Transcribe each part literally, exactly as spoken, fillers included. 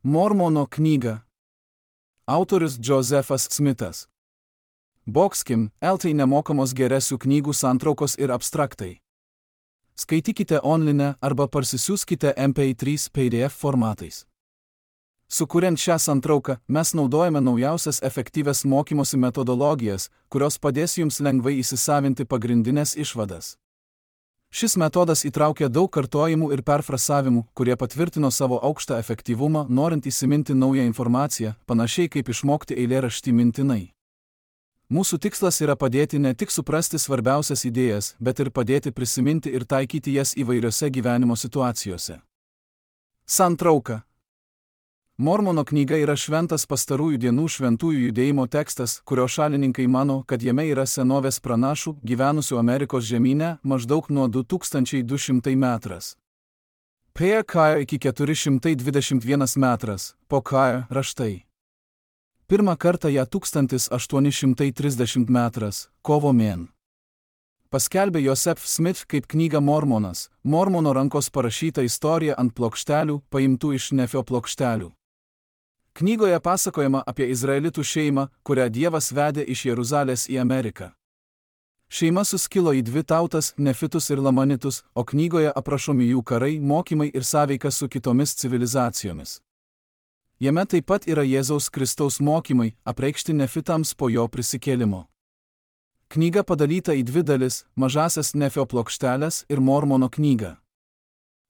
Mormono knyga. Autorius Josefas Smithas. Boxkim, eltai nemokamos geresių knygų santraukos ir abstraktai. Skaitykite online arba parsisiųskite M P trys P D F formatais. Sukuriant šią santrauką, mes naudojame naujausias efektyvias mokymosi metodologijas, kurios padės jums lengvai įsisavinti pagrindinės išvadas. Šis metodas įtraukia daug kartojimų ir perfrasavimų, kurie patvirtino savo aukštą efektyvumą, norint įsiminti naują informaciją, panašiai kaip išmokti eilėraštį mintinai. Mūsų tikslas yra padėti ne tik suprasti svarbiausias idėjas, bet ir padėti prisiminti ir taikyti jas įvairiose gyvenimo situacijose. Santrauka. Mormono knyga yra šventas pastarųjų dienų šventųjų judėjimo tekstas, kurio šalininkai mano, kad jame yra senovės pranašų, gyvenusių Amerikos žemyne maždaug nuo du tūkstančiai du šimtai metras. Prie Kajo iki keturi šimtai dvidešimt vienas metras, po Kajo raštai. Pirmą kartą ją tūkstantis aštuoni šimtai trisdešimt metras, kovo mėn. Paskelbė Joseph Smith kaip knyga Mormonas, Mormono rankos parašyta istorija ant plokštelių, paimtų iš Nefio plokštelių. Knygoje pasakojama apie izraelitų šeimą, kurią Dievas vedė iš Jeruzalės į Ameriką. Šeima suskilo į dvi tautas, nefitus ir lamanitus, o knygoje aprašomi jų karai, mokymai ir sąveika su kitomis civilizacijomis. Jame taip pat yra Jėzaus Kristaus mokymai, apreikšti nefitams po jo prisikėlimo. Knyga padalyta į dvi dalis, mažasias Nefio plokštelės ir Mormono knygą.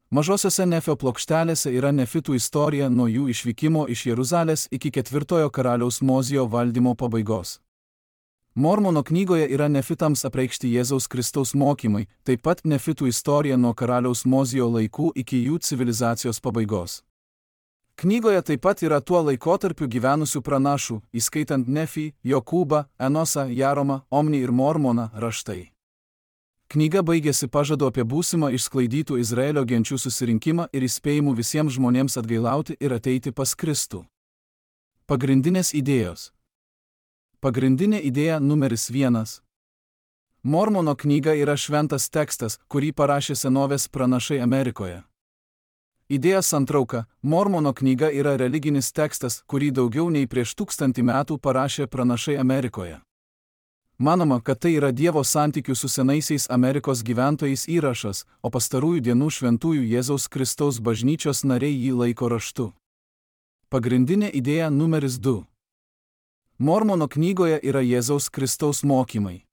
Mažosiose Nefio plokštelėse yra nefitų istorija nuo jų išvykimo iš Jeruzalės iki ketvirtojo karaliaus Mozijo valdymo pabaigos. Mormono knygoje yra nefitams apreikšti Jėzaus Kristaus mokymai, taip pat nefitų istorija nuo karaliaus Mozijo laikų iki jų civilizacijos pabaigos. Knygoje taip pat yra tuo laikotarpiu gyvenusių pranašų, įskaitant Nefį, Jokūbą, Enosą, Jaromą, Omnį ir Mormoną raštai. Knyga baigėsi pažadu apie būsimą išsklaidytų Izraelio genčių susirinkimą ir įspėjimų visiems žmonėms atgailauti ir ateiti pas Kristų. Pagrindinės idėjos. Pagrindinė idėja numeris vienas. Mormono knyga yra šventas tekstas, kurį parašė senovės pranašai Amerikoje. Idėja santrauka. Mormono knyga yra religinis tekstas, kurį daugiau nei prieš tūkstantį metų parašė pranašai Amerikoje. Manoma, kad tai yra Dievo santykių su senaisiais Amerikos gyventojais įrašas, o pastarųjų dienų šventųjų Jėzaus Kristaus bažnyčios nariai jį laiko raštu. Pagrindinė idėja numeris du. Mormono knygoje yra Jėzaus Kristaus mokymai.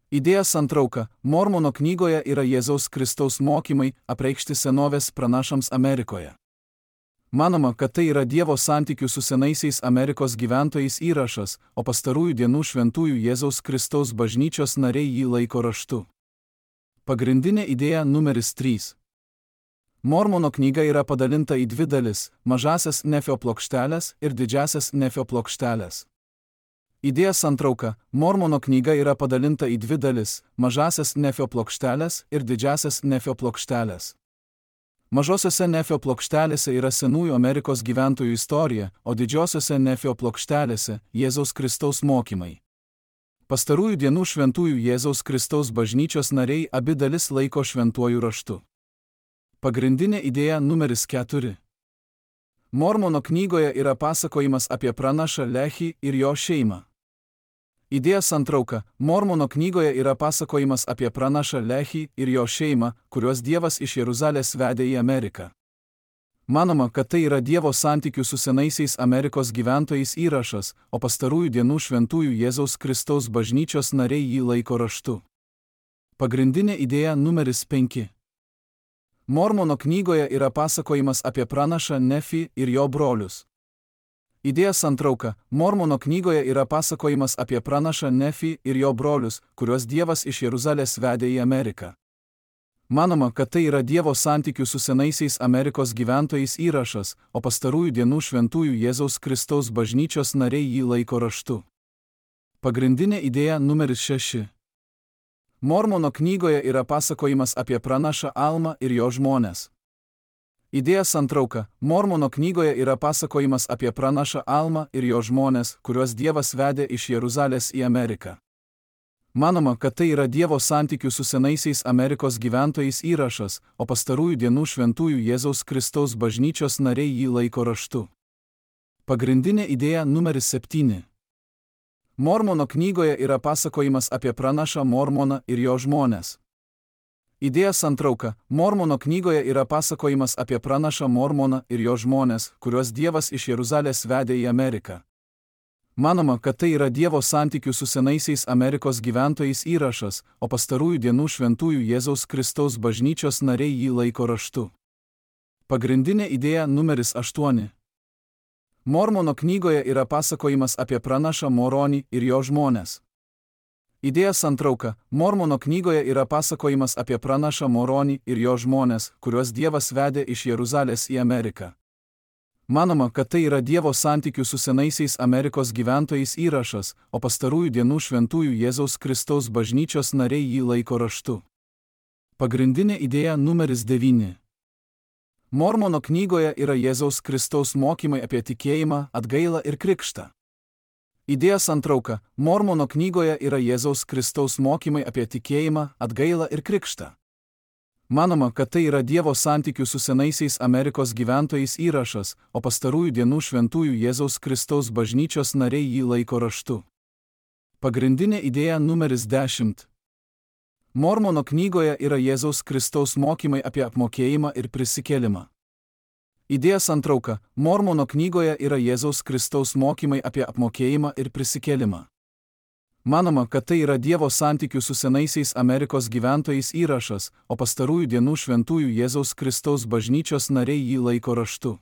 Idėja santrauka. Mormono knygoje yra Jėzaus Kristaus mokymai, apreikšti senovės pranašams Amerikoje. Manoma, kad tai yra Dievo santykių su senaisiais Amerikos gyventojais įrašas, o pastarųjų dienų šventųjų Jėzaus Kristaus bažnyčios nariai jį laiko raštu. Pagrindinė idėja numeris trys. Mormono knyga yra padalinta į dvi dalis – mažasias Nefio plokštelės ir didžiasias Nefio plokštelės. Idėja santrauka. Mormono knyga yra padalinta į dvi dalis – mažasias Nefio plokštelės ir didžiasias Nefio plokštelės. Mažosiose Nefio plokštelėse yra senųjų Amerikos gyventojų istorija, o didžiosiose Nefio plokštelėse – Jėzaus Kristaus mokymai. Pastarųjų dienų šventųjų Jėzaus Kristaus bažnyčios nariai abi dalis laiko šventuoju raštu. Pagrindinė idėja numeris keturi. Mormono knygoje yra pasakojimas apie pranašą Lehį ir jo šeimą. Idėja santrauka. Mormono knygoje yra pasakojimas apie pranašą Lehį ir jo šeimą, kuriuos Dievas iš Jeruzalės vedė į Ameriką. Manoma, kad tai yra Dievo santykių su senaisiais Amerikos gyventojais įrašas, o pastarųjų dienų šventųjų Jėzaus Kristaus bažnyčios nariai jį laiko raštu. Pagrindinė idėja numeris penki. Mormono knygoje yra pasakojimas apie pranašą Nefį ir jo brolius. Idėja santrauka. Mormono knygoje yra pasakojimas apie pranašą Nefį ir jo brolius, kuriuos Dievas iš Jeruzalės vedė į Ameriką. Manoma, kad tai yra Dievo santykių su senaisiais Amerikos gyventojais įrašas, o pastarųjų dienų šventųjų Jėzaus Kristaus bažnyčios nariai jį laiko raštu. Pagrindinė idėja numeris šeši. Mormono knygoje yra pasakojimas apie pranašą Almą ir jo žmones. Idėja santrauka. Mormono knygoje yra pasakojimas apie pranašą Almą ir jo žmones, kuriuos Dievas vedė iš Jeruzalės į Ameriką. Manoma, kad tai yra Dievo santykių su senaisiais Amerikos gyventojais įrašas, o pastarųjų dienų šventųjų Jėzaus Kristaus bažnyčios nariai jį laiko raštu. Pagrindinė idėja numeris septyni. Mormono knygoje yra pasakojimas apie pranašą Mormoną ir jo žmones. Idėja santrauka. Mormono knygoje yra pasakojimas apie pranašą Mormoną ir jo žmones, kuriuos Dievas iš Jeruzalės vedė į Ameriką. Manoma, kad tai yra Dievo santykių su senaisiais Amerikos gyventojais įrašas, o pastarųjų dienų šventųjų Jėzaus Kristaus bažnyčios nariai jį laiko raštu. Pagrindinė idėja numeris aštuoni. Mormono knygoje yra pasakojimas apie pranašą Moronį ir jo žmones. Idėja santrauka. Mormono knygoje yra pasakojimas apie pranašą Moronį ir jo žmones, kuriuos Dievas vedė iš Jeruzalės į Ameriką. Manoma, kad tai yra Dievo santykių su senaisiais Amerikos gyventojais įrašas, o pastarųjų dienų šventųjų Jėzaus Kristaus bažnyčios nariai jį laiko raštu. Pagrindinė idėja numeris devyni. Mormono knygoje yra Jėzaus Kristaus mokymai apie tikėjimą, atgailą ir krikštą. Idėja santrauka. Mormono knygoje yra Jėzaus Kristaus mokymai apie tikėjimą, atgailą ir krikštą. Manoma, kad tai yra Dievo santykių su senaisiais Amerikos gyventojais įrašas, o pastarųjų dienų šventųjų Jėzaus Kristaus bažnyčios nariai jį laiko raštu. Pagrindinė idėja numeris dešimt. Mormono knygoje yra Jėzaus Kristaus mokymai apie apmokėjimą ir prisikėlimą. Idėja santrauka. Mormono knygoje yra Jėzaus Kristaus mokymai apie apmokėjimą ir prisikėlimą. Manoma, kad tai yra Dievo santykių su senaisiais Amerikos gyventojais įrašas, o pastarųjų dienų šventųjų Jėzaus Kristaus bažnyčios nariai jį laiko raštu.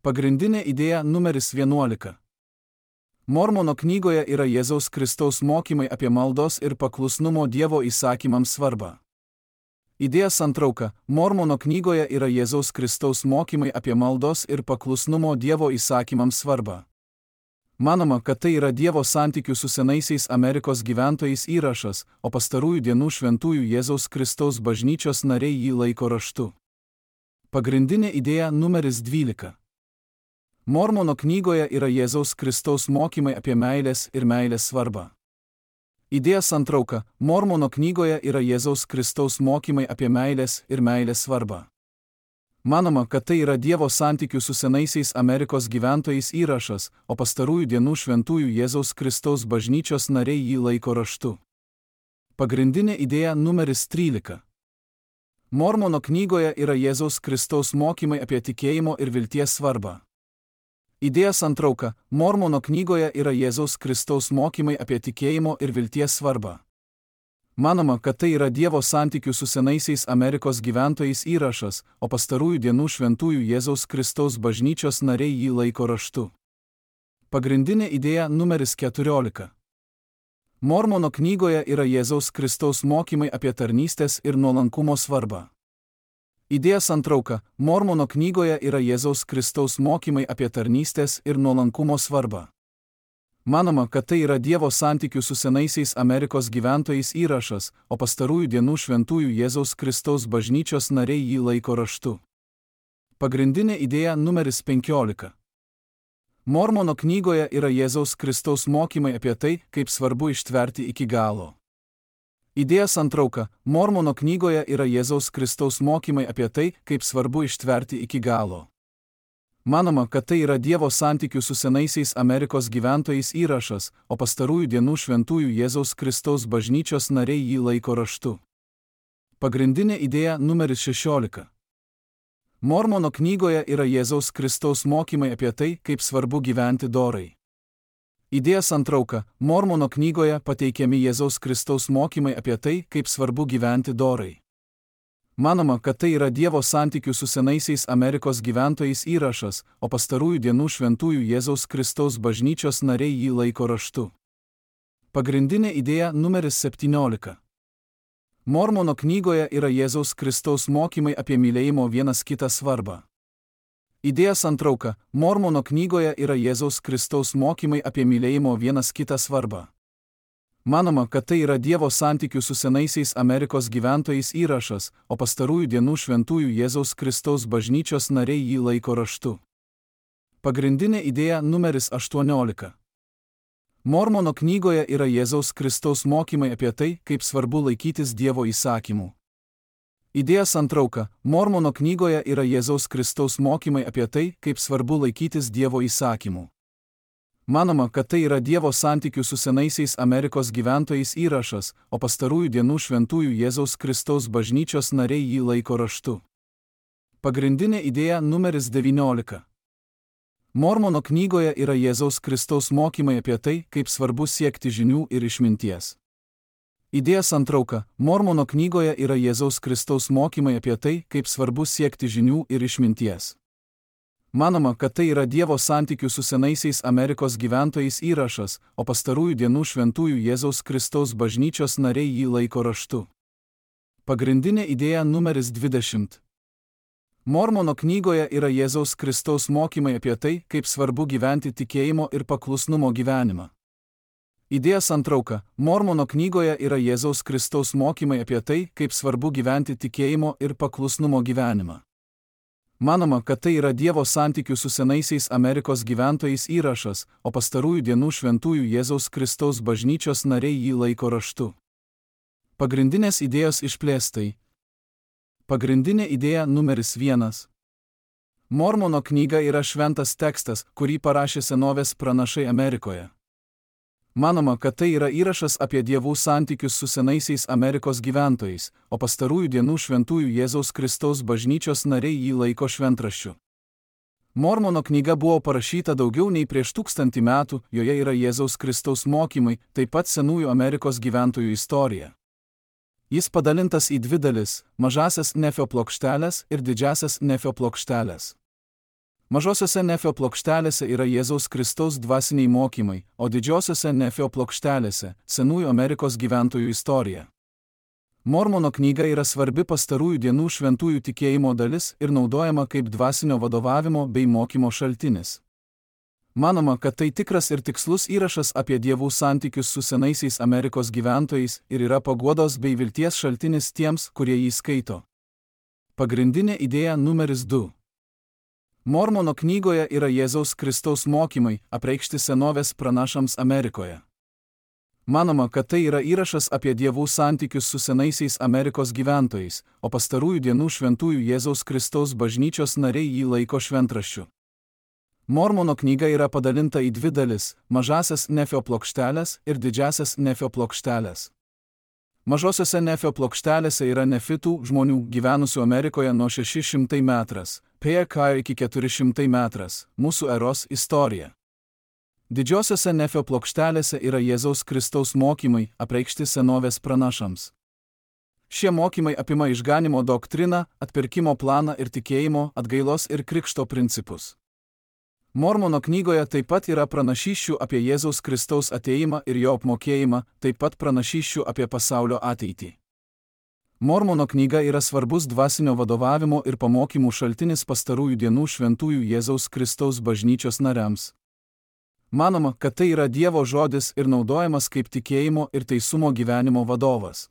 Pagrindinė idėja numeris vienuolika. Mormono knygoje yra Jėzaus Kristaus mokymai apie maldos ir paklusnumo Dievo įsakymams svarbą. Idėja santrauka. Mormono knygoje yra Jėzaus Kristaus mokymai apie maldos ir paklusnumo Dievo įsakymams svarbą. Manoma, kad tai yra Dievo santykių su senaisiais Amerikos gyventojais įrašas, o pastarųjų dienų šventųjų Jėzaus Kristaus bažnyčios nariai jį laiko raštu. Pagrindinė idėja numeris dvylika. Mormono knygoje yra Jėzaus Kristaus mokymai apie meilės ir meilės svarbą. Idėja santrauka. Mormono knygoje yra Jėzaus Kristaus mokymai apie meilės ir meilės svarbą. Manoma, kad tai yra Dievo santykių su senaisiais Amerikos gyventojais įrašas, o pastarųjų dienų šventųjų Jėzaus Kristaus bažnyčios nariai jį laiko raštu. Pagrindinė idėja numeris trylika. Mormono knygoje yra Jėzaus Kristaus mokymai apie tikėjimo ir vilties svarbą. Idėja santrauka. Mormono knygoje yra Jėzaus Kristaus mokymai apie tikėjimo ir vilties svarbą. Manoma, kad tai yra Dievo santykių su senaisiais Amerikos gyventojais įrašas, o pastarųjų dienų šventųjų Jėzaus Kristaus bažnyčios nariai jį laiko raštu. Pagrindinė idėja numeris keturiolika. Mormono knygoje yra Jėzaus Kristaus mokymai apie tarnystės ir nuolankumo svarbą. Idėja santrauka. Mormono knygoje yra Jėzaus Kristaus mokymai apie tarnystės ir nuolankumo svarbą. Manoma, kad tai yra Dievo santykių su senaisiais Amerikos gyventojais įrašas, o pastarųjų dienų šventųjų Jėzaus Kristaus bažnyčios nariai jį laiko raštu. Pagrindinė idėja numeris penkiolika. Mormono knygoje yra Jėzaus Kristaus mokymai apie tai, kaip svarbu ištverti iki galo. Idėja santrauka. Mormono knygoje yra Jėzaus Kristaus mokymai apie tai, kaip svarbu ištverti iki galo. Manoma, kad tai yra Dievo santykių su senaisiais Amerikos gyventojais įrašas, o pastarųjų dienų šventųjų Jėzaus Kristaus bažnyčios nariai jį laiko raštu. Pagrindinė idėja numeris šešiolika. Mormono knygoje yra Jėzaus Kristaus mokymai apie tai, kaip svarbu gyventi dorai. Idėja santrauka. Mormono knygoje pateikiami Jėzaus Kristaus mokymai apie tai, kaip svarbu gyventi dorai. Manoma, kad tai yra Dievo santykių su senaisiais Amerikos gyventojais įrašas, o pastarųjų dienų šventųjų Jėzaus Kristaus bažnyčios nariai jį laiko raštu. Pagrindinė idėja numeris septyniolika. Mormono knygoje yra Jėzaus Kristaus mokymai apie mylėjimo vienas kitą svarbą. Idėja santrauka. Mormono knygoje yra Jėzaus Kristaus mokymai apie mylėjimo vienas kitą svarbą. Manoma, kad tai yra Dievo santykių su senaisiais Amerikos gyventojais įrašas, o pastarųjų dienų šventųjų Jėzaus Kristaus bažnyčios nariai jį laiko raštu. Pagrindinė idėja numeris aštuoniolika. Mormono knygoje yra Jėzaus Kristaus mokymai apie tai, kaip svarbu laikytis Dievo įsakymų. Idėja santrauka. Mormono knygoje yra Jėzaus Kristaus mokymai apie tai, kaip svarbu laikytis Dievo įsakymų. Manoma, kad tai yra Dievo santykių su senaisiais Amerikos gyventojais įrašas, o pastarųjų dienų šventųjų Jėzaus Kristaus bažnyčios nariai jį laiko raštu. Pagrindinė idėja numeris devyniolika. Mormono knygoje yra Jėzaus Kristaus mokymai apie tai, kaip svarbu siekti žinių ir išminties. Idėja santrauka. Mormono knygoje yra Jėzaus Kristaus mokymai apie tai, kaip svarbu siekti žinių ir išminties. Manoma, kad tai yra Dievo santykių su senaisiais Amerikos gyventojais įrašas, o pastarųjų dienų šventųjų Jėzaus Kristaus bažnyčios nariai jį laiko raštu. Pagrindinė idėja numeris dvidešimt. Mormono knygoje yra Jėzaus Kristaus mokymai apie tai, kaip svarbu gyventi tikėjimo ir paklusnumo gyvenimą. Idėja santrauka. Mormono knygoje yra Jėzaus Kristaus mokymai apie tai, kaip svarbu gyventi tikėjimo ir paklusnumo gyvenimą. Manoma, kad tai yra Dievo santykių su senaisiais Amerikos gyventojais įrašas, o pastarųjų dienų šventųjų Jėzaus Kristaus bažnyčios nariai jį laiko raštu. Pagrindinės idėjos išplėstai. Pagrindinė idėja numeris vienas. Mormono knyga yra šventas tekstas, kurį parašė senovės pranašai Amerikoje. Manoma, kad tai yra įrašas apie dievų santykius su senaisiais Amerikos gyventojais, o pastarųjų dienų šventųjų Jėzaus Kristaus bažnyčios nariai jį laiko šventraščiu. Mormono knyga buvo parašyta daugiau nei prieš tūkstantį metų, joje yra Jėzaus Kristaus mokymai, taip pat senųjų Amerikos gyventojų istorija. Jis padalintas į dvi dalis – mažasias Nefio plokštelės ir didžiasias Nefio plokštelės. Mažosiose Nefio plokštelėse yra Jėzaus Kristaus dvasiniai mokymai, o didžiosiose Nefio plokštelėse – senųjų Amerikos gyventojų istorija. Mormono knyga yra svarbi pastarųjų dienų šventųjų tikėjimo dalis ir naudojama kaip dvasinio vadovavimo bei mokymo šaltinis. Manoma, kad tai tikras ir tikslus įrašas apie dievų santykius su senaisiais Amerikos gyventojais ir yra paguodos bei vilties šaltinis tiems, kurie jį skaito. Pagrindinė idėja numeris du. Mormono knygoje yra Jėzaus Kristaus mokymai, apreikšti senovės pranašams Amerikoje. Manoma, kad tai yra įrašas apie dievų santykius su senaisiais Amerikos gyventojais, o pastarųjų dienų šventųjų Jėzaus Kristaus bažnyčios nariai jį laiko šventraščiu. Mormono knyga yra padalinta į dvi dalis – mažasias Nefio plokštelės ir didžiasias Nefio plokštelės. Mažosiose Nefio plokštelėse yra nefitų žmonių gyvenusių Amerikoje nuo šeši šimtai metras, P K iki keturi šimtai metras, mūsų eros istorija. Didžiosiose Nefio plokštelėse yra Jėzaus Kristaus mokymai, apreikšti senovės pranašams. Šie mokymai apima išganimo doktriną, atpirkimo planą ir tikėjimo, atgailos ir krikšto principus. Mormono knygoje taip pat yra pranašysčių apie Jėzaus Kristaus atėjimą ir jo apmokėjimą, taip pat pranašysčių apie pasaulio ateitį. Mormono knyga yra svarbus dvasinio vadovavimo ir pamokymų šaltinis pastarųjų dienų šventųjų Jėzaus Kristaus bažnyčios nariams. Manoma, kad tai yra Dievo žodis ir naudojamas kaip tikėjimo ir teisumo gyvenimo vadovas.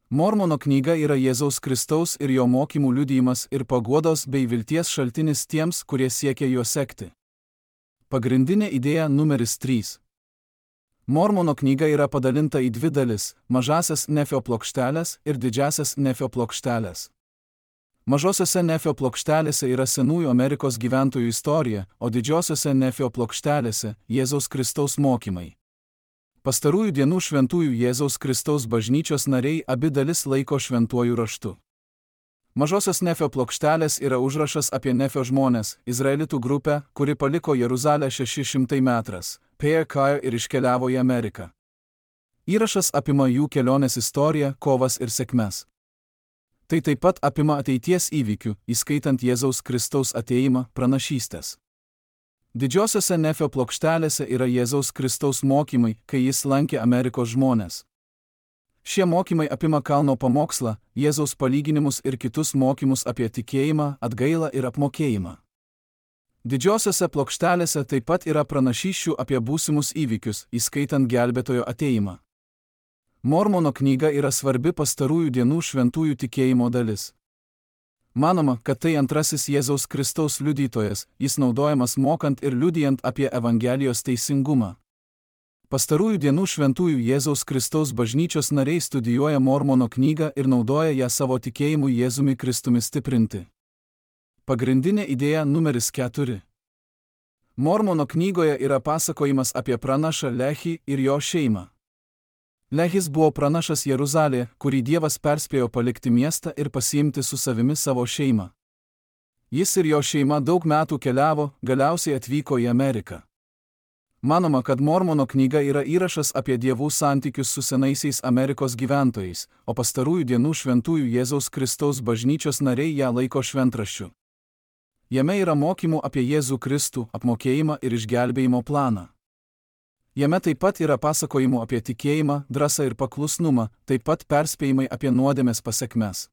Mormono knyga yra Jėzaus Kristaus ir jo mokymų liudijimas ir paguodos bei vilties šaltinis tiems, kurie siekia juo sekti. Pagrindinė idėja numeris trys. Mormono knyga yra padalinta į dvi dalis – mažasias Nefio plokštelės ir didžiasias Nefio plokštelės. Mažosiose Nefio plokštelėse yra senųjų Amerikos gyventojų istorija, o didžiosiose Nefio plokštelėse – Jėzaus Kristaus mokymai. Pastarųjų dienų šventųjų Jėzaus Kristaus bažnyčios nariai abi dalis laiko šventuoju raštu. Mažosios Nefio plokštelės yra užrašas apie Nefio žmones, izraelitų grupę, kuri paliko Jeruzalę šeši šimtai metras, P K ir iškeliavo į Ameriką. Įrašas apima jų kelionės istoriją, kovas ir sėkmes. Tai taip pat apima ateities įvykių, įskaitant Jėzaus Kristaus atėjimą, pranašystės. Didžiosiose Nefio plokštelėse yra Jėzaus Kristaus mokymai, kai jis lankė Amerikos žmones. Šie mokymai apima kalno pamokslą, Jėzaus palyginimus ir kitus mokymus apie tikėjimą, atgailą ir apmokėjimą. Didžiosiose plokštelėse taip pat yra pranašysčių apie būsimus įvykius, įskaitant gelbėtojo atėjimą. Mormono knyga yra svarbi pastarųjų dienų šventųjų tikėjimo dalis. Manoma, kad tai antrasis Jėzaus Kristaus liudytojas, jis naudojamas mokant ir liudijant apie Evangelijos teisingumą. Pastarųjų dienų šventųjų Jėzaus Kristaus bažnyčios nariai studijuoja Mormono knygą ir naudoja ją savo tikėjimu Jėzumi Kristumi stiprinti. Pagrindinė idėja numeris keturi. Mormono knygoje yra pasakojimas apie pranašą Lehį ir jo šeimą. Lehis buvo pranašas Jeruzalėje, kurį Dievas perspėjo palikti miestą ir pasiimti su savimi savo šeimą. Jis ir jo šeima daug metų keliavo, galiausiai atvyko į Ameriką. Manoma, kad Mormono knyga yra įrašas apie dievų santykius su senaisiais Amerikos gyventojais, o pastarųjų dienų šventųjų Jėzaus Kristaus bažnyčios nariai ją laiko šventraščiu. Jame yra mokymų apie Jėzų Kristų, apmokėjimą ir išgelbėjimo planą. Jame taip pat yra pasakojimų apie tikėjimą, drąsą ir paklusnumą, taip pat perspėjimai apie nuodėmės pasekmes.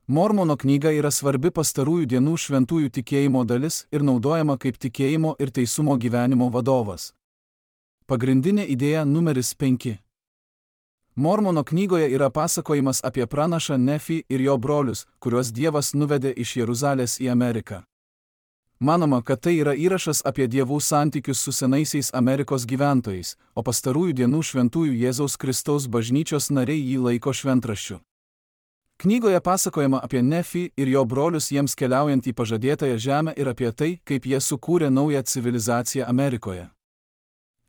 Mormono knyga yra svarbi pastarųjų dienų šventųjų tikėjimo dalis ir naudojama kaip tikėjimo ir teisumo gyvenimo vadovas. Pagrindinė idėja numeris penki. Mormono knygoje yra pasakojimas apie pranašą Nefį ir jo brolius, kuriuos Dievas nuvedė iš Jeruzalės į Ameriką. Manoma, kad tai yra įrašas apie dievų santykius su senaisiais Amerikos gyventojais, o pastarųjų dienų šventųjų Jėzaus Kristaus bažnyčios nariai jį laiko šventraščiu. Knygoje pasakojama apie Nefį ir jo brolius jiems keliaujant į pažadėtąją žemę ir apie tai, kaip jie sukūrė naują civilizaciją Amerikoje.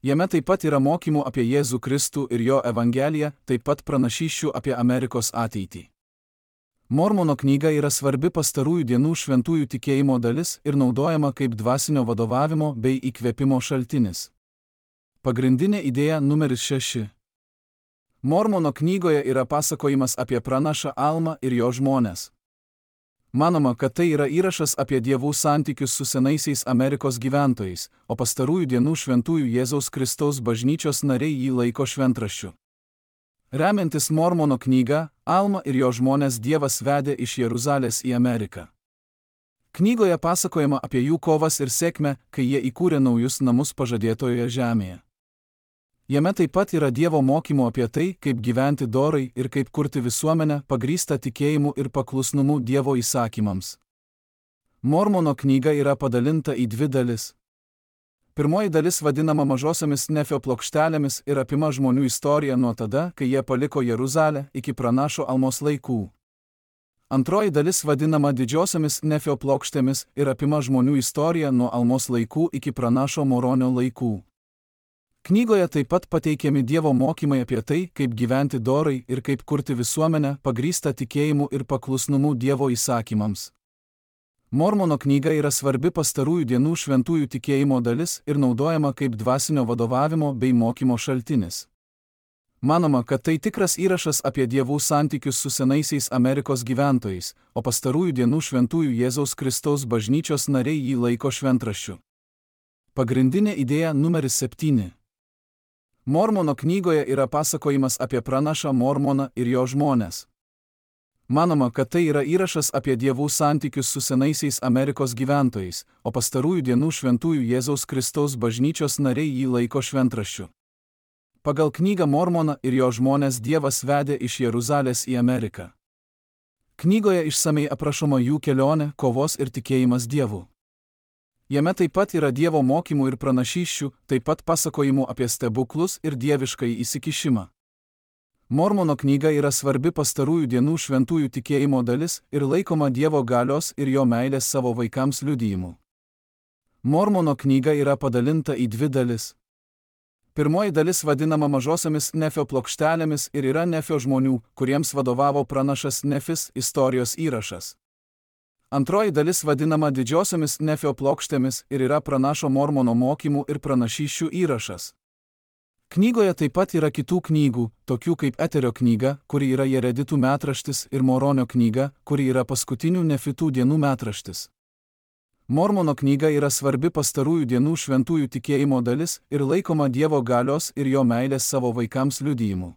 Jame taip pat yra mokymų apie Jėzų Kristų ir jo evangeliją, taip pat pranašysčių apie Amerikos ateitį. Mormono knyga yra svarbi pastarųjų dienų šventųjų tikėjimo dalis ir naudojama kaip dvasinio vadovavimo bei įkvėpimo šaltinis. Pagrindinė idėja numeris šeši. Mormono knygoje yra pasakojimas apie pranašą Almą ir jo žmones. Manoma, kad tai yra įrašas apie dievų santykius su senaisiais Amerikos gyventojais, o pastarųjų dienų šventųjų Jėzaus Kristaus bažnyčios nariai jį laiko šventraščiu. Remiantis Mormono knyga, Almą ir jo žmones Dievas vedė iš Jeruzalės į Ameriką. Knygoje pasakojama apie jų kovas ir sėkmę, kai jie įkūrė naujus namus pažadėtojoje žemėje. Jame taip pat yra Dievo mokymų apie tai, kaip gyventi dorai ir kaip kurti visuomenę pagrįstą tikėjimu ir paklusnumu Dievo įsakymams. Mormono knyga yra padalinta į dvi dalis. Pirmoji dalis vadinama mažosiomis Nefio plokštelėmis ir apima žmonių istoriją nuo tada, kai jie paliko Jeruzalę, iki pranašo Almos laikų. Antroji dalis vadinama didžiosiomis Nefio plokštėmis ir apima žmonių istoriją nuo Almos laikų iki pranašo Moronio laikų. Knygoje taip pat pateikiami Dievo mokymai apie tai, kaip gyventi dorai ir kaip kurti visuomenę pagrįstą tikėjimu ir paklusnumu Dievo įsakymams. Mormono knyga yra svarbi pastarųjų dienų šventųjų tikėjimo dalis ir naudojama kaip dvasinio vadovavimo bei mokymo šaltinis. Manoma, kad tai tikras įrašas apie dievų santykius su senaisiais Amerikos gyventojais, o pastarųjų dienų šventųjų Jėzaus Kristaus bažnyčios nariai jį laiko šventraščiu. Pagrindinė idėja numeris septyni. Mormono knygoje yra pasakojimas apie pranašą Mormoną ir jo žmones. Manoma, kad tai yra įrašas apie dievų santykius su senaisiais Amerikos gyventojais, o pastarųjų dienų šventųjų Jėzaus Kristaus bažnyčios nariai jį laiko šventraščiu. Pagal knygą Mormoną ir jo žmones Dievas vedė iš Jeruzalės į Ameriką. Knygoje išsamei aprašoma jų kelionė, kovos ir tikėjimas Dievu. Jame taip pat yra Dievo mokymų ir pranašysčių, taip pat pasakojimų apie stebuklus ir dieviškąjį įsikišimą. Mormono knyga yra svarbi pastarųjų dienų šventųjų tikėjimo dalis ir laikoma Dievo galios ir jo meilės savo vaikams liudijimu. Mormono knyga yra padalinta į dvi dalis. Pirmoji dalis vadinama mažosiomis Nefio plokštelėmis ir yra Nefio žmonių, kuriems vadovavo pranašas Nefis, istorijos įrašas. Antroji dalis vadinama didžiosiomis Nefio plokštėmis ir yra pranašo Mormono mokymų ir pranašysčių įrašas. Knygoje taip pat yra kitų knygų, tokių kaip Eterio knyga, kuri yra Jereditų metraštis, ir Moronio knyga, kuri yra paskutinių Nefitų dienų metraštis. Mormono knyga yra svarbi pastarųjų dienų šventųjų tikėjimo dalis ir laikoma Dievo galios ir jo meilės savo vaikams liudijimu.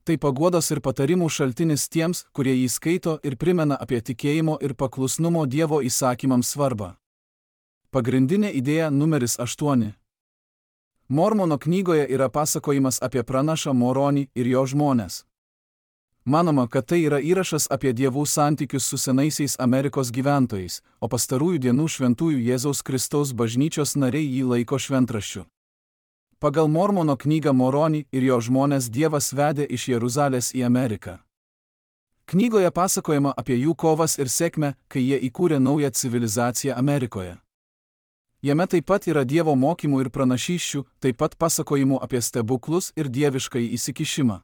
Tai paguodos ir patarimų šaltinis tiems, kurie jį skaito ir primena apie tikėjimo ir paklusnumo Dievo įsakymams svarbą. Pagrindinė idėja numeris aštuoni. Mormono knygoje yra pasakojimas apie pranašą Moronį ir jo žmones. Manoma, kad tai yra įrašas apie dievų santykius su senaisiais Amerikos gyventojais, o pastarųjų dienų šventųjų Jėzaus Kristaus bažnyčios nariai jį laiko šventraščiu. Pagal Mormono knygą Moronį ir jo žmones Dievas vedė iš Jeruzalės į Ameriką. Knygoje pasakojama apie jų kovas ir sėkmę, kai jie įkūrė naują civilizaciją Amerikoje. Jame taip pat yra Dievo mokymų ir pranašysčių, taip pat pasakojimų apie stebuklus ir dieviškąjį įsikišimą.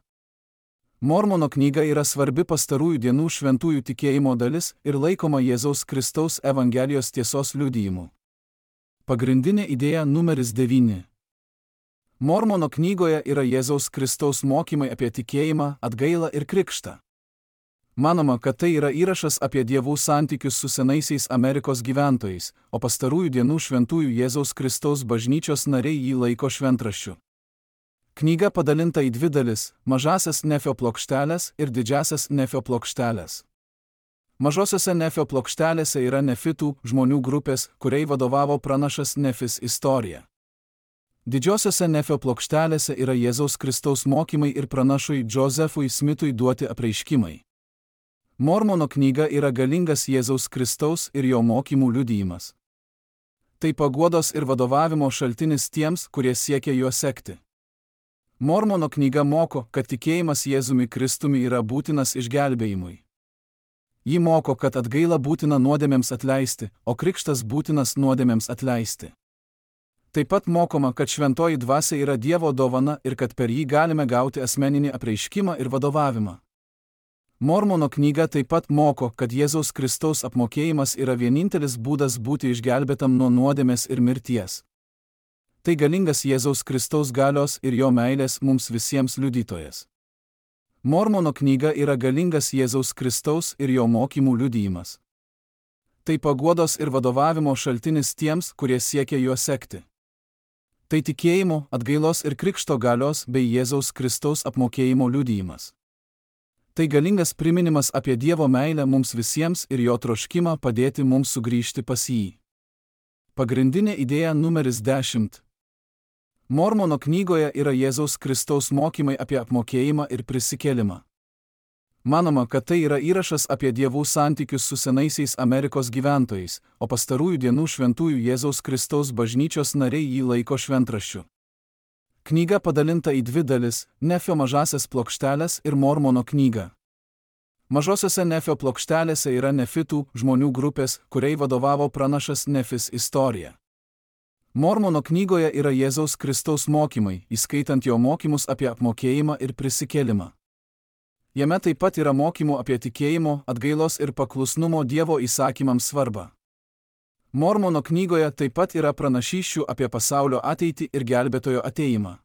Mormono knyga yra svarbi pastarųjų dienų šventųjų tikėjimo dalis ir laikoma Jėzaus Kristaus Evangelijos tiesos liudijimu. Pagrindinė idėja numeris devyni. Mormono knygoje yra Jėzaus Kristaus mokymai apie tikėjimą, atgailą ir krikštą. Manoma, kad tai yra įrašas apie dievų santykius su senaisiais Amerikos gyventojais, o pastarųjų dienų šventųjų Jėzaus Kristaus bažnyčios nariai jį laiko šventraščiu. Knyga padalinta į dvi dalis – mažasias Nefio plokštelės ir didžiasias Nefio plokštelės. Mažosiose Nefio plokštelėse yra nefitų žmonių grupės, kuriai vadovavo pranašas Nefis istorija. Didžiosiose Nefio plokštelėse yra Jėzaus Kristaus mokymai ir pranašui Josefui Smithui duoti apreiškimai. Mormono knyga yra galingas Jėzaus Kristaus ir jo mokymų liudijimas. Tai paguodos ir vadovavimo šaltinis tiems, kurie siekia juo sekti. Mormono knyga moko, kad tikėjimas Jėzumi Kristumi yra būtinas išgelbėjimui. Ji moko, kad atgaila būtina nuodėmėms atleisti, o krikštas būtinas nuodėmėms atleisti. Taip pat mokoma, kad šventoji dvasia yra Dievo dovana ir kad per jį galime gauti asmeninį apreiškimą ir vadovavimą. Mormono knyga taip pat moko, kad Jėzaus Kristaus apmokėjimas yra vienintelis būdas būti išgelbėtam nuo nuodėmės ir mirties. Tai galingas Jėzaus Kristaus galios ir jo meilės mums visiems liudytojas. Mormono knyga yra galingas Jėzaus Kristaus ir jo mokymų liudijimas. Tai paguodos ir vadovavimo šaltinis tiems, kurie siekia juo sekti. Tai tikėjimo, atgailos ir krikšto galios bei Jėzaus Kristaus apmokėjimo liudijimas. Tai galingas priminimas apie Dievo meilę mums visiems ir jo troškimą padėti mums sugrįžti pas jį. Pagrindinė idėja numeris dešimt. Mormono knygoje yra Jėzaus Kristaus mokymai apie apmokėjimą ir prisikėlimą. Manoma, kad tai yra įrašas apie dievų santykius su senaisiais Amerikos gyventojais, o pastarųjų dienų šventųjų Jėzaus Kristaus bažnyčios nariai jį laiko šventraščiu. Knyga padalinta į dvi dalis – Nefio mažasias plokštelės ir Mormono knyga. Mažosiose Nefio plokštelėse yra nefitų žmonių grupės, kuriai vadovavo pranašas Nefis istorija. Mormono knygoje yra Jėzaus Kristaus mokymai, įskaitant jo mokymus apie apmokėjimą ir prisikėlimą. Jame taip pat yra mokymų apie tikėjimo, atgailos ir paklusnumo Dievo įsakymams svarbą. Mormono knygoje taip pat yra pranašysčių apie pasaulio ateitį ir gelbėtojo atėjimą.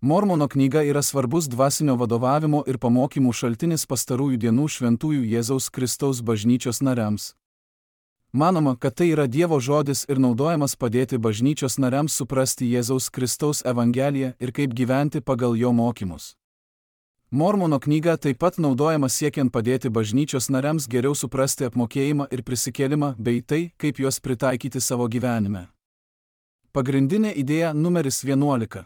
Mormono knyga yra svarbus dvasinio vadovavimo ir pamokymų šaltinis pastarųjų dienų šventųjų Jėzaus Kristaus bažnyčios nariams. Manoma, kad tai yra Dievo žodis ir naudojamas padėti bažnyčios nariams suprasti Jėzaus Kristaus Evangeliją ir kaip gyventi pagal jo mokymus. Mormono knyga taip pat naudojama siekiant padėti bažnyčios nariams geriau suprasti apmokėjimą ir prisikėlimą bei tai, kaip juos pritaikyti savo gyvenime. Pagrindinė idėja numeris vienuolika.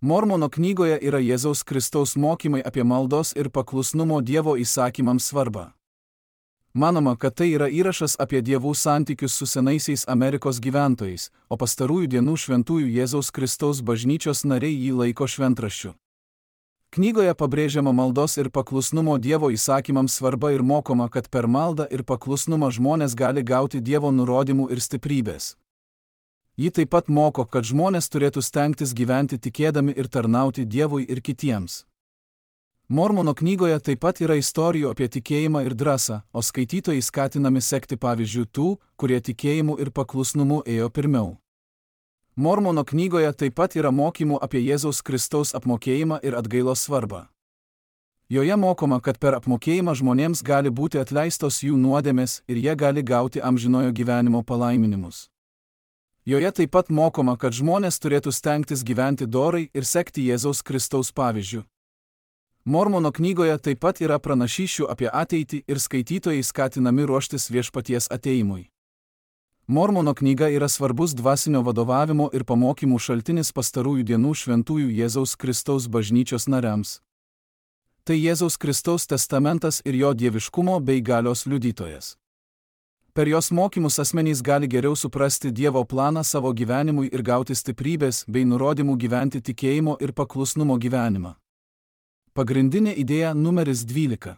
Mormono knygoje yra Jėzaus Kristaus mokymai apie maldos ir paklusnumo Dievo įsakymams svarbą. Manoma, kad tai yra įrašas apie dievų santykius su senaisiais Amerikos gyventojais, o pastarųjų dienų šventųjų Jėzaus Kristaus bažnyčios nariai jį laiko šventraščiu. Knygoje pabrėžiama maldos ir paklusnumo Dievo įsakymams svarba ir mokoma, kad per maldą ir paklusnumą žmonės gali gauti Dievo nurodymų ir stiprybės. Ji taip pat moko, kad žmonės turėtų stengtis gyventi tikėdami ir tarnauti Dievui ir kitiems. Mormono knygoje taip pat yra istorijų apie tikėjimą ir drąsą, o skaitytojai skatinami sekti pavyzdžių tų, kurie tikėjimu ir paklusnumu ėjo pirmiau. Mormono knygoje taip pat yra mokymų apie Jėzaus Kristaus apmokėjimą ir atgailos svarbą. Joje mokoma, kad per apmokėjimą žmonėms gali būti atleistos jų nuodėmės ir jie gali gauti amžinojo gyvenimo palaiminimus. Joje taip pat mokoma, kad žmonės turėtų stengtis gyventi dorai ir sekti Jėzaus Kristaus pavyzdžiu. Mormono knygoje taip pat yra pranašysčių apie ateitį ir skaitytojai skatinami ruoštis viešpaties atėjimui. Mormono knyga yra svarbus dvasinio vadovavimo ir pamokymų šaltinis pastarųjų dienų šventųjų Jėzaus Kristaus bažnyčios nariams. Tai Jėzaus Kristaus testamentas ir jo dieviškumo bei galios liudytojas. Per jos mokymus asmenys gali geriau suprasti Dievo planą savo gyvenimui ir gauti stiprybės bei nurodymų gyventi tikėjimo ir paklusnumo gyvenimą. Pagrindinė idėja numeris dvylika.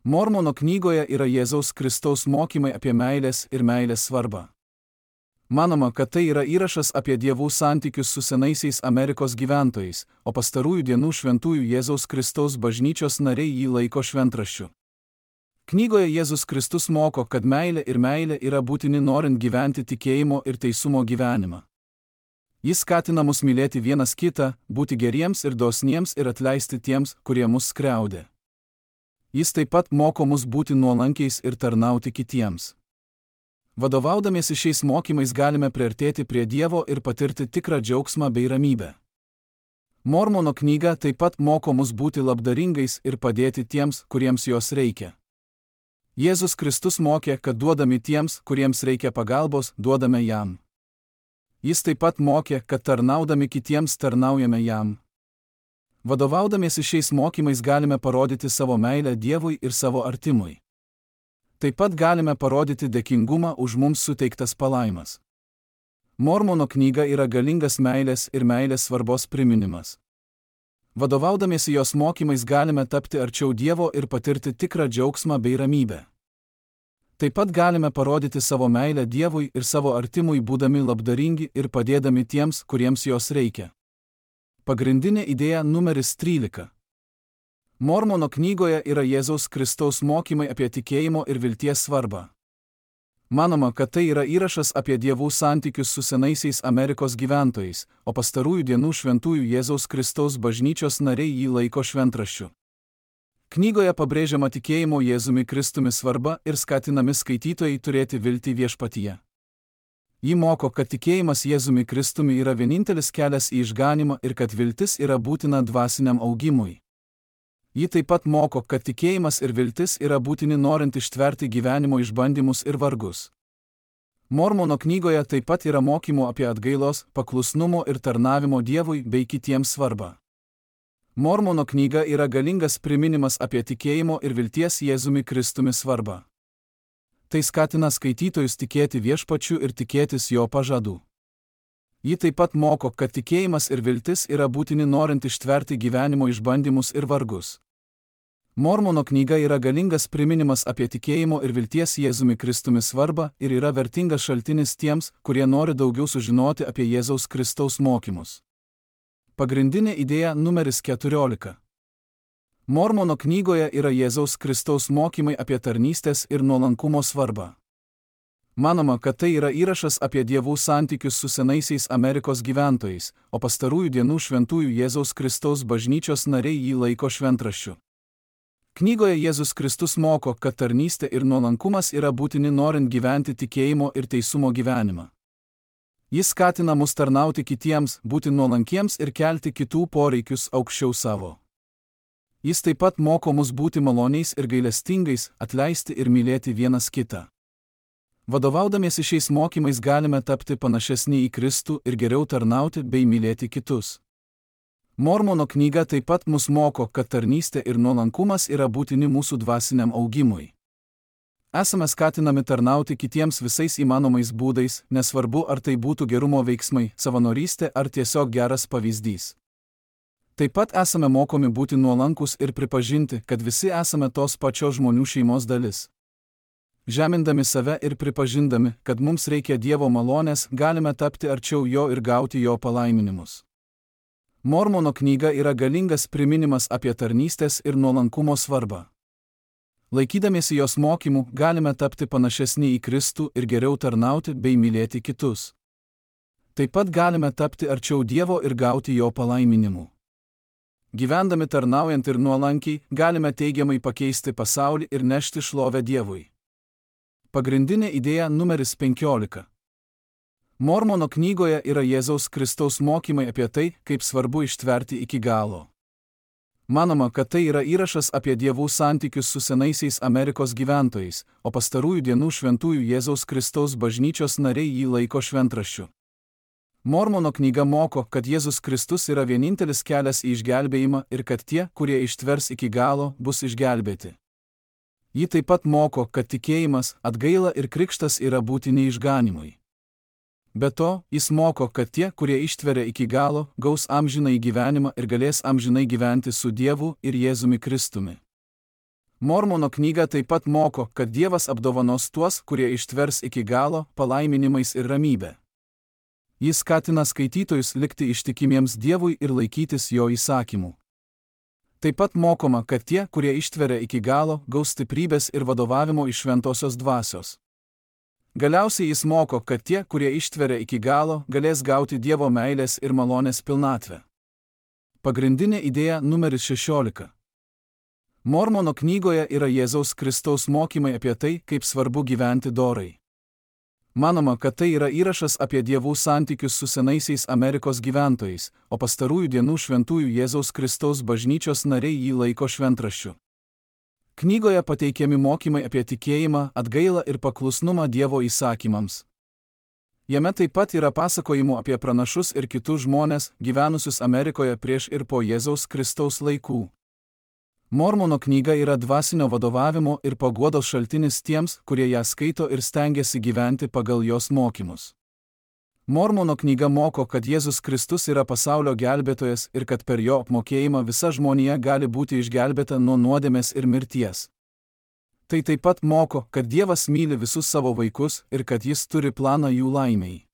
Mormono knygoje yra Jėzaus Kristaus mokymai apie meilės ir meilės svarbą. Manoma, kad tai yra įrašas apie dievų santykius su senaisiais Amerikos gyventojais, o pastarųjų dienų šventųjų Jėzaus Kristaus bažnyčios nariai jį laiko šventraščiu. Knygoje Jėzus Kristus moko, kad meilė ir meilė yra būtini norint gyventi tikėjimo ir teisumo gyvenimą. Jis skatina mus mylėti vienas kitą, būti geriems ir dosniems ir atleisti tiems, kurie mus skriaudė. Jis taip pat moko mus būti nuolankiais ir tarnauti kitiems. Vadovaudamiesi šiais mokymais galime priartėti prie Dievo ir patirti tikrą džiaugsmą bei ramybę. Mormono knyga taip pat moko mus būti labdaringais ir padėti tiems, kuriems jos reikia. Jėzus Kristus mokė, kad duodami tiems, kuriems reikia pagalbos, duodame jam. Jis taip pat mokė, kad tarnaudami kitiems tarnaujame jam. Vadovaudamiesi šiais mokymais galime parodyti savo meilę Dievui ir savo artimui. Taip pat galime parodyti dėkingumą už mums suteiktas palaimas. Mormono knyga yra galingas meilės ir meilės svarbos priminimas. Vadovaudamiesi jos mokymais galime tapti arčiau Dievo ir patirti tikrą džiaugsmą bei ramybę. Taip pat galime parodyti savo meilę Dievui ir savo artimui būdami labdaringi ir padėdami tiems, kuriems jos reikia. Pagrindinė idėja numeris trylika. Mormono knygoje yra Jėzaus Kristaus mokymai apie tikėjimo ir vilties svarbą. Manoma, kad tai yra įrašas apie dievų santykius su senaisiais Amerikos gyventojais, o pastarųjų dienų šventųjų Jėzaus Kristaus bažnyčios nariai jį laiko šventraščiu. Knygoje pabrėžiama tikėjimo Jėzumi Kristumi svarba ir skatinami skaitytojai turėti viltį viešpatyje. Ji moko, kad tikėjimas Jėzumi Kristumi yra vienintelis kelias į išganymą ir kad viltis yra būtina dvasiniam augimui. Ji taip pat moko, kad tikėjimas ir viltis yra būtini norint ištverti gyvenimo išbandymus ir vargus. Mormono knygoje taip pat yra mokymų apie atgailos, paklusnumo ir tarnavimo Dievui bei kitiems svarbą. Mormono knyga yra galingas priminimas apie tikėjimo ir vilties Jėzumi Kristumi svarbą. Tai skatina skaitytojus tikėti viešpačiu ir tikėtis jo pažadų. Ji taip pat moko, kad tikėjimas ir viltis yra būtini norint ištverti gyvenimo išbandymus ir vargus. Mormono knyga yra galingas priminimas apie tikėjimo ir vilties Jėzumi Kristumi svarbą ir yra vertingas šaltinis tiems, kurie nori daugiau sužinoti apie Jėzaus Kristaus mokymus. Pagrindinė idėja numeris keturiolika. Mormono knygoje yra Jėzaus Kristaus mokymai apie tarnystės ir nuolankumo svarbą. Manoma, kad tai yra įrašas apie dievų santykius su senaisiais Amerikos gyventojais, o pastarųjų dienų šventųjų Jėzaus Kristaus bažnyčios nariai jį laiko šventraščiu. Knygoje Jėzus Kristus moko, kad tarnystė ir nuolankumas yra būtini norint gyventi tikėjimo ir teisumo gyvenimą. Jis skatina mus tarnauti kitiems, būti nuolankiems ir kelti kitų poreikius aukščiau savo. Jis taip pat moko mus būti maloniais ir gailestingais, atleisti ir mylėti vienas kitą. Vadovaudamiesi šiais mokymais galime tapti panašesni į Kristų ir geriau tarnauti bei mylėti kitus. Mormono knyga taip pat mus moko, kad tarnystė ir nuolankumas yra būtini mūsų dvasiniam augimui. Esame skatinami tarnauti kitiems visais įmanomais būdais, nesvarbu ar tai būtų gerumo veiksmai, savanorystė ar tiesiog geras pavyzdys. Taip pat esame mokomi būti nuolankus ir pripažinti, kad visi esame tos pačios žmonių šeimos dalis. Žemindami save ir pripažindami, kad mums reikia Dievo malonės, galime tapti arčiau jo ir gauti jo palaiminimus. Mormono knyga yra galingas priminimas apie tarnystės ir nuolankumo svarbą. Laikydamiesi jos mokymų, galime tapti panašesni į Kristų ir geriau tarnauti bei mylėti kitus. Taip pat galime tapti arčiau Dievo ir gauti jo palaiminimų. Gyvendami tarnaujant ir nuolankiai, galime teigiamai pakeisti pasaulį ir nešti šlovę Dievui. Pagrindinė idėja numeris penkiolika. Mormono knygoje yra Jėzaus Kristaus mokymai apie tai, kaip svarbu ištverti iki galo. Manoma, kad tai yra įrašas apie dievų santykius su senaisiais Amerikos gyventojais, o pastarųjų dienų šventųjų Jėzaus Kristaus bažnyčios nariai jį laiko šventraščiu. Mormono knyga moko, kad Jėzus Kristus yra vienintelis kelias į išgelbėjimą ir kad tie, kurie ištvers iki galo, bus išgelbėti. Ji taip pat moko, kad tikėjimas, atgaila ir krikštas yra būtini išganimui. Be to, jis moko, kad tie, kurie ištveria iki galo, gaus amžinąjį gyvenimą ir galės amžinai gyventi su Dievu ir Jėzumi Kristumi. Mormono knyga taip pat moko, kad Dievas apdovanos tuos, kurie ištvers iki galo, palaiminimais ir ramybė. Jis skatina skaitytojus likti ištikimiems Dievui ir laikytis jo įsakymų. Taip pat mokoma, kad tie, kurie ištveria iki galo, gaus stiprybės ir vadovavimo iš šventosios dvasios. Galiausiai jis moko, kad tie, kurie ištveria iki galo, galės gauti Dievo meilės ir malonės pilnatvę. Pagrindinė idėja numeris šešiolika. Mormono knygoje yra Jėzaus Kristaus mokymai apie tai, kaip svarbu gyventi dorai. Manoma, kad tai yra įrašas apie dievų santykius su senaisiais Amerikos gyventojais, o pastarųjų dienų šventųjų Jėzaus Kristaus bažnyčios nariai jį laiko šventraščiu. Knygoje pateikiami mokymai apie tikėjimą, atgailą ir paklusnumą Dievo įsakymams. Jame taip pat yra pasakojimų apie pranašus ir kitus žmones, gyvenusius Amerikoje prieš ir po Jėzaus Kristaus laikų. Mormono knyga yra dvasinio vadovavimo ir paguodos šaltinis tiems, kurie ją skaito ir stengiasi gyventi pagal jos mokymus. Mormono knyga moko, kad Jėzus Kristus yra pasaulio gelbėtojas ir kad per jo apmokėjimą visa žmonija gali būti išgelbėta nuo nuodėmės ir mirties. Tai taip pat moko, kad Dievas myli visus savo vaikus ir kad jis turi planą jų laimei.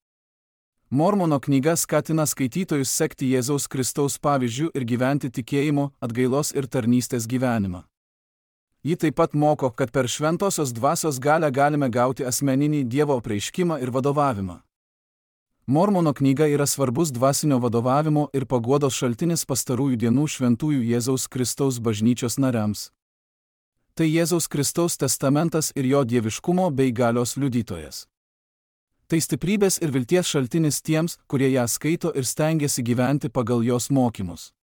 Mormono knyga skatina skaitytojus sekti Jėzaus Kristaus pavyzdžių ir gyventi tikėjimo, atgailos ir tarnystės gyvenimą. Ji taip pat moko, kad per šventosios dvasios galią galime gauti asmeninį Dievo apreiškimą ir vadovavimą. Mormono knyga yra svarbus dvasinio vadovavimo ir paguodos šaltinis pastarųjų dienų šventųjų Jėzaus Kristaus bažnyčios nariams. Tai Jėzaus Kristaus testamentas ir jo dieviškumo bei galios liudytojas. Tai stiprybės ir vilties šaltinis tiems, kurie ją skaito ir stengiasi gyventi pagal jos mokymus.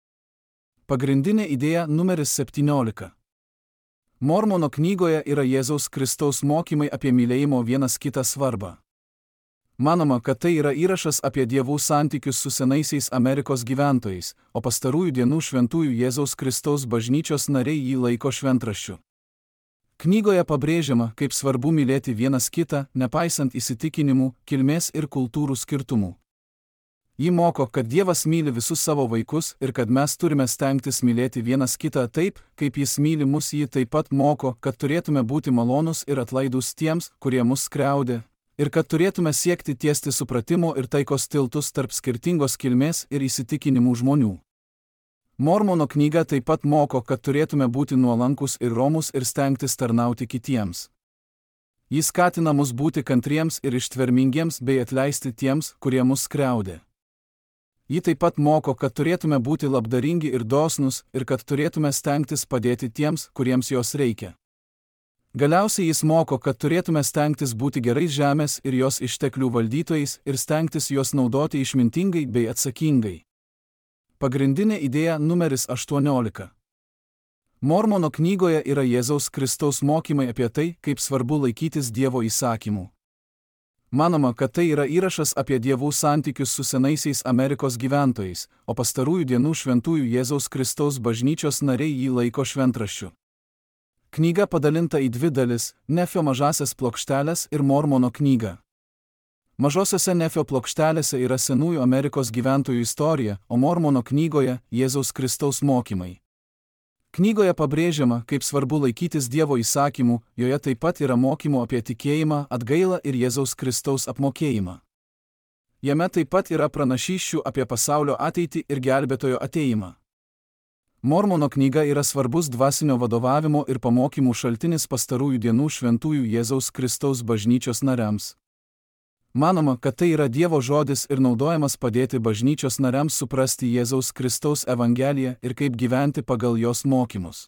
Pagrindinė idėja numeris septyniolika. Mormono knygoje yra Jėzaus Kristaus mokymai apie mylėjimo vienas kitą svarbą. Manoma, kad tai yra įrašas apie dievų santykius su senaisiais Amerikos gyventojais, o pastarųjų dienų šventųjų Jėzaus Kristaus bažnyčios nariai jį laiko šventraščiu. Knygoje pabrėžiama, kaip svarbu mylėti vienas kitą, nepaisant įsitikinimų, kilmės ir kultūrų skirtumų. Ji moko, kad Dievas myli visus savo vaikus ir kad mes turime stengtis mylėti vienas kitą taip, kaip jis myli mus. Ji taip pat moko, kad turėtume būti malonūs ir atlaidūs tiems, kurie mus skriaudė, ir kad turėtume siekti tiesti supratimo ir taikos tiltus tarp skirtingos kilmės ir įsitikinimų žmonių. Mormono knyga taip pat moko, kad turėtume būti nuolankus ir romūs ir stengtis tarnauti kitiems. Jis skatina mus būti kantriems ir ištvermingiems bei atleisti tiems, kurie mus skriaudė. Ji taip pat moko, kad turėtume būti labdaringi ir dosnūs ir kad turėtume stengtis padėti tiems, kuriems jos reikia. Galiausiai jis moko, kad turėtume stengtis būti gerais žemės ir jos išteklių valdytojais ir stengtis juos naudoti išmintingai bei atsakingai. Pagrindinė idėja numeris aštuoniolika. Mormono knygoje yra Jėzaus Kristaus mokymai apie tai, kaip svarbu laikytis Dievo įsakymų. Manoma, kad tai yra įrašas apie dievų santykius su senaisiais Amerikos gyventojais, o pastarųjų dienų šventųjų Jėzaus Kristaus bažnyčios nariai jį laiko šventraščiu. Knyga padalinta į dvi dalis – Nefio mažasias plokštelės ir Mormono knyga. Mažosiose Nefio plokštelėse yra senųjų Amerikos gyventojų istorija, o Mormono knygoje – Jėzaus Kristaus mokymai. Knygoje pabrėžiama, kaip svarbu laikytis Dievo įsakymų, joje taip pat yra mokymų apie tikėjimą, atgailą ir Jėzaus Kristaus apmokėjimą. Jame taip pat yra pranašysčių apie pasaulio ateitį ir gelbėtojo atėjimą. Mormono knyga yra svarbus dvasinio vadovavimo ir pamokymų šaltinis pastarųjų dienų šventųjų Jėzaus Kristaus bažnyčios nariams. Manoma, kad tai yra Dievo žodis ir naudojamas padėti bažnyčios nariams suprasti Jėzaus Kristaus evangeliją ir kaip gyventi pagal jos mokymus.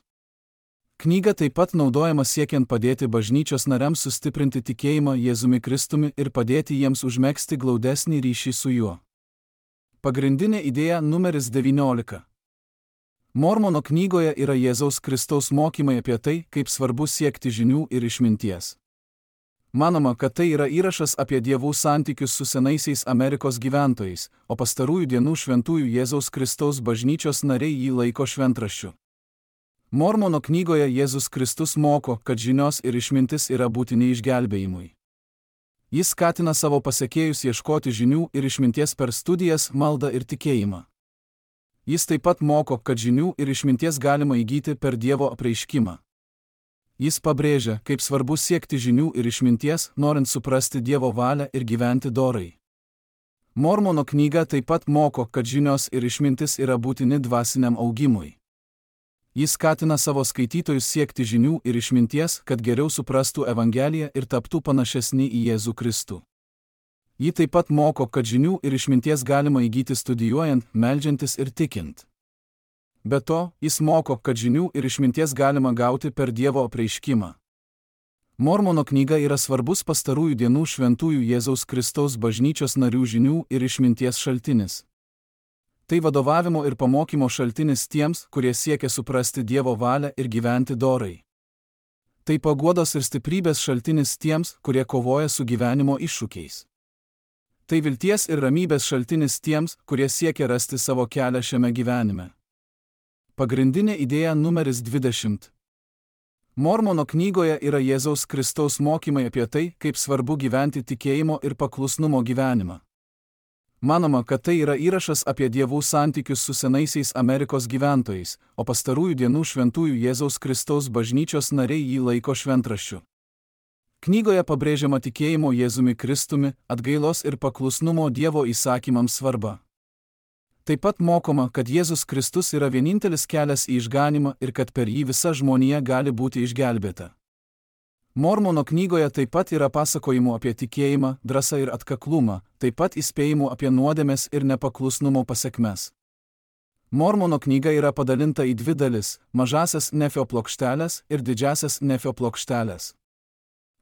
Knyga taip pat naudojama siekiant padėti bažnyčios nariams sustiprinti tikėjimą Jėzumi Kristumi ir padėti jiems užmegzti glaudesnį ryšį su juo. Pagrindinė idėja numeris devyniolika. Mormono knygoje yra Jėzaus Kristaus mokymai apie tai, kaip svarbu siekti žinių ir išminties. Manoma, kad tai yra įrašas apie dievų santykius su senaisiais Amerikos gyventojais, o pastarųjų dienų šventųjų Jėzaus Kristaus bažnyčios nariai jį laiko šventraščiu. Mormono knygoje Jėzus Kristus moko, kad žinios ir išmintis yra būtini išgelbėjimui. Jis skatina savo pasekėjus ieškoti žinių ir išminties per studijas, maldą ir tikėjimą. Jis taip pat moko, kad žinių ir išminties galima įgyti per Dievo apreiškimą. Jis pabrėžia, kaip svarbu siekti žinių ir išminties, norint suprasti Dievo valią ir gyventi dorai. Mormono knyga taip pat moko, kad žinios ir išmintis yra būtini dvasiniam augimui. Jis skatina savo skaitytojus siekti žinių ir išminties, kad geriau suprastų Evangeliją ir taptų panašesni į Jėzų Kristų. Ji taip pat moko, kad žinių ir išminties galima įgyti studijuojant, meldžiantis ir tikint. Be to, jis moko, kad žinių ir išminties galima gauti per Dievo apreiškimą. Mormono knyga yra svarbus pastarųjų dienų šventųjų Jėzaus Kristaus bažnyčios narių žinių ir išminties šaltinis. Tai vadovavimo ir pamokymo šaltinis tiems, kurie siekia suprasti Dievo valią ir gyventi dorai. Tai paguodos ir stiprybės šaltinis tiems, kurie kovoja su gyvenimo iššūkiais. Tai vilties ir ramybės šaltinis tiems, kurie siekia rasti savo kelią šiame gyvenime. Pagrindinė idėja numeris dvidešimt. Mormono knygoje yra Jėzaus Kristaus mokymai apie tai, kaip svarbu gyventi tikėjimo ir paklusnumo gyvenimą. Manoma, kad tai yra įrašas apie dievų santykius su senaisiais Amerikos gyventojais, o pastarųjų dienų šventųjų Jėzaus Kristaus bažnyčios nariai jį laiko šventraščiu. Knygoje pabrėžiama tikėjimo Jėzumi Kristumi, atgailos ir paklusnumo Dievo įsakymams svarba. Taip pat mokoma, kad Jėzus Kristus yra vienintelis kelias į išganymą ir kad per jį visa žmonija gali būti išgelbėta. Mormono knygoje taip pat yra pasakojimų apie tikėjimą, drąsą ir atkaklumą, taip pat įspėjimų apie nuodėmes ir nepaklusnumo pasekmes. Mormono knyga yra padalinta į dvi dalis – mažasias Nefio plokštelės ir didžiasias Nefio plokštelės.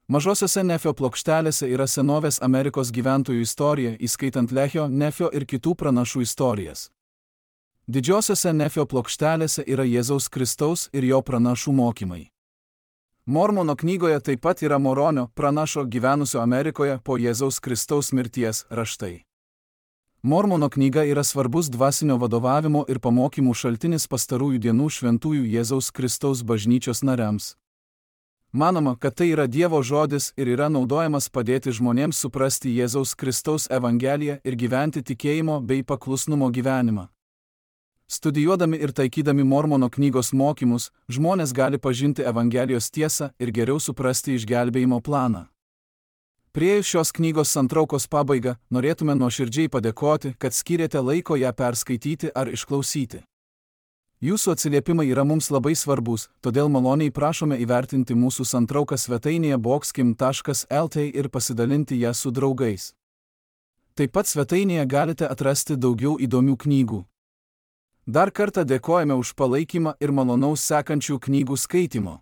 Mažosiose Nefio plokštelėse yra senovės Amerikos gyventojų istorija, įskaitant Lehio, Nefio ir kitų pranašų istorijas. Didžiosiose Nefio plokštelėse yra Jėzaus Kristaus ir jo pranašų mokymai. Mormono knygoje taip pat yra Moronio, pranašo gyvenusio Amerikoje po Jėzaus Kristaus mirties, raštai. Mormono knyga yra svarbus dvasinio vadovavimo ir pamokymų šaltinis pastarųjų dienų šventųjų Jėzaus Kristaus bažnyčios nariams. Manoma, kad tai yra Dievo žodis ir yra naudojamas padėti žmonėms suprasti Jėzaus Kristaus Evangeliją ir gyventi tikėjimo bei paklusnumo gyvenimą. Studijuodami ir taikydami Mormono knygos mokymus, žmonės gali pažinti Evangelijos tiesą ir geriau suprasti išgelbėjimo planą. Priėjus šios knygos santraukos pabaigą, norėtume nuoširdžiai padėkoti, kad skyrėte laiko ją perskaityti ar išklausyti. Jūsų atsiliepimai yra mums labai svarbus, todėl maloniai prašome įvertinti mūsų santrauką svetainėje boxkim taškas el t ir pasidalinti ją su draugais. Taip pat svetainėje galite atrasti daugiau įdomių knygų. Dar kartą dėkojame už palaikymą ir malonaus sekančių knygų skaitimo.